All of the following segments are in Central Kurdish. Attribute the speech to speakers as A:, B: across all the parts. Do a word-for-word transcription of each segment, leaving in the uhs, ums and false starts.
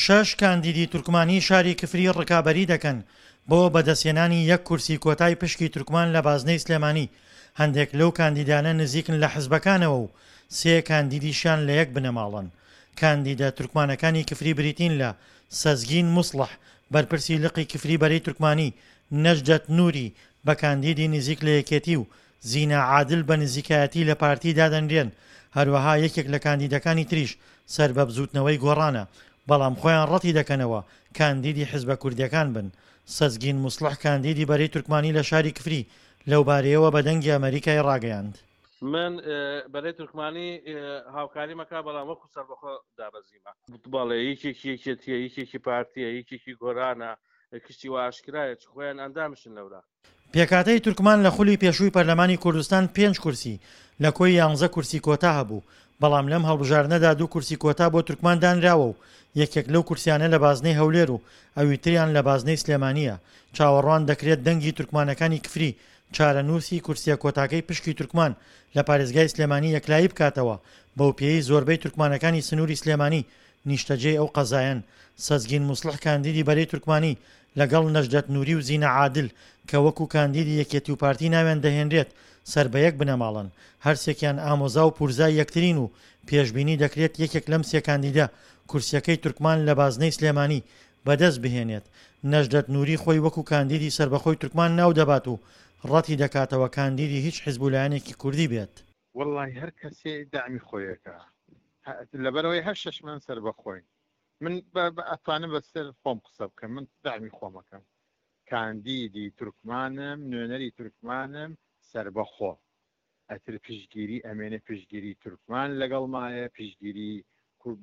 A: شەش کاندیدی تورکمانی شاری کفری ڕکابەری دەکەن بۆ بەدەستهێنانی یەک کورسی کۆتای پشکی تورکمان لە بازنەی سلێمانی، هەندێک لەو کاندیدانە نزیکن لە حزبەکانەوە و سێ کاندیدیشیان لە یەک بنەماڵەن. کاندیدە تورکمانەکانی کفری بریتین لە سەزگین موسڵح، بەرپرسی لقی کفری بەرەی تورکمانی، نەجدەت نوری بە کاندیدی نزیک لە یەکێتی و زینا عادل بە نزیکایەتی لە پارتی دادەنرێن، هەروەها یەکێک لە کاندیدەکانی تریش سەر بە بزوتنەوەی گۆڕانە، بەڵام خۆیان ڕەتی دەکەنەوە کاندیدی حزبە کوردیەکان بن. سەزگین موسڵح کاندیدی بەرەی تورکمانی لە شاری کفری لەوبارەیەوە بە دەنگی ئەمەریکای ڕاگەیاند.
B: من بەرەی تورکمانی هاوکاریمەکە، بەڵام وەکو سەربەخۆ دابەزیمە. بەڵێ، یەکێکی یەکێتیە، یەکێکی پارتیە، یەکێکی گۆرانە، کشتی وا ئاشکرایە چ خۆیان ئەندامشن لەورا.
A: پێکهاتەی تورکمان لە خولی پێشووی پەرلەمانی کوردستان پێنج کورسی لە کۆی یانزە کورسی کۆتا هەبوو، بەڵام لەم هەڵبژاردنەدا دوو کورسی کۆتا بۆ تورکمان دانراوە و یەکێک لەو کورسیانە لە بازنەی هەولێر و ئەویتریان لە بازنەی سلێمانییە. چاوەڕوان دەکرێت دەنگی تورکمانەکانی کفری چارەنووسی کورسیە کۆتاکەی پشکی تورکمان لە پارێزگای سلێمانی یەکلایی بکاتەوە، بەوپێیەی زۆربەی تورکمانەکانی سنووری سلێمانی نیشتەجێی ئەو قەزایەن. سەزگین موسڵح کاندیدی بەرەی تورکمانی لەگەڵ نەجدەت نوری و زینە عادل کە وەکو کاندیدی یەکێتی و پارتی ناویان دەهێنرێت سەر بە یەک بنەماڵەن، هەرسێکیان ئامۆزا و پورزای یەکترین و پێشبینی دەکرێت یەکێک لەم سێ کاندیدە کورسیەکەی تورکمان لە بازنەی سلێمانی بەدەست بهێنێت. نەجدەت نوری خۆی وەکو کاندیدی سەربەخۆی تورکمان ناو دەبات و ڕەتی دەکاتەوە کاندیدی هیچ حزب و لایەنێکی کوردی بێت.
C: وەڵڵاهی هەر کەسێ دەعمی خۆیەکە، لەبەرئەوەی هەر شەشمان سەربەخۆین، من ئەتوانم بەسەر خۆم قسە بکەم، من دەعمی خۆمەکەم، کاندیدی تورکمانم، نوێنەری تورکمانم، سەربەخۆ، ئەتر پشتگیری ئەمێنێ، پشتگیری تورکمان لەگەڵمایە، پشتگیری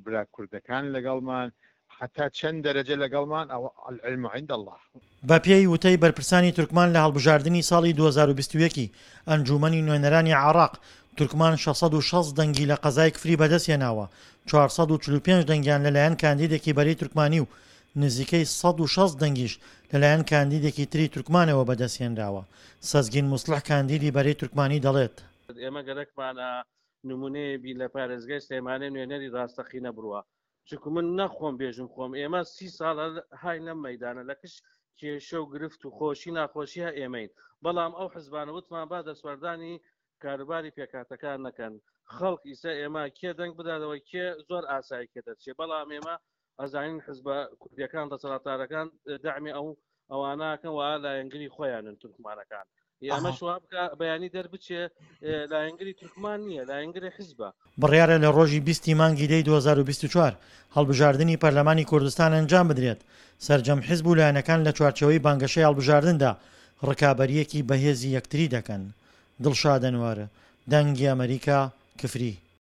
C: برا کوردەکان لەگەڵمان، هەتا چەند دەرەجە لەگەڵمان، ئەوە العلم عند اللە.
A: بەپێی وتەی بەرپرسانی تورکمان لە هەڵبژاردنی ساڵی دوو هەزار و بیست و یەک ی ئەنجوومەنی نوێنەرانی عێراق، تورکمان شەش سەد و شەست دەنگی لە قەزای کفری بەدەستهێناوە، چوار سەد و چل و پێنج دەنگیان لەلایەن کاندیدێکی بەرەی تورکمانی و نزیکەی سەد و شەست دەنگیش لەلایەن کاندیدێکی تری تورکمانەوە بەدەستهێنراوە. سەزگین موسڵح کاندیدی بەرەی تورکمانی دەڵێت،
B: ئێمە گەرەکمانە نمونەیە بین لە پارێزگای سلێمانی نوێنەری ڕاستەقینە بڕوا، چونکو من نەخۆم بێژم خۆم ئێمە سی ساڵە های لەم مەیدانە لە کش کێشە و گرفت و خۆشی ناخۆشی ها ئێمەین، بەڵام ئەو حزبانە وتمان با دەستوەردانی کاروباری پێکهاتەکان نەکەن. خەڵک ئیسا ئێمە کێ دەنگ بداتەوە کێ زۆر ئاسایی کێ دەرچێ، بەڵام ئێمە ئەزانین حزبە کوردیەکان دەسەڵاتدارەکان دەعمی ئەو ئەواناکەن و لایەنگری خۆیانن تورکمانەکان. ئەمەش وا بکە بەیانی دەربچێ لایەنگری تورکمان نییە، لایەنگری حزبە.
A: بڕیارە لە ڕۆژی بیست ی مانگی دەی دوو هەزار و بیست و چوار هەڵبژاردنی پەرلەمانی کوردستان ئەنجام بدرێت، سەرجەم حزب و لایەنەکان لە چوارچێوەی بانگەشەی هەڵبژاردندا ڕکابەرییەکی بەهێزی یەکتری دەکەن. دڵشاد ئەنوەر، دەنگی ئەمەریکا، کفری.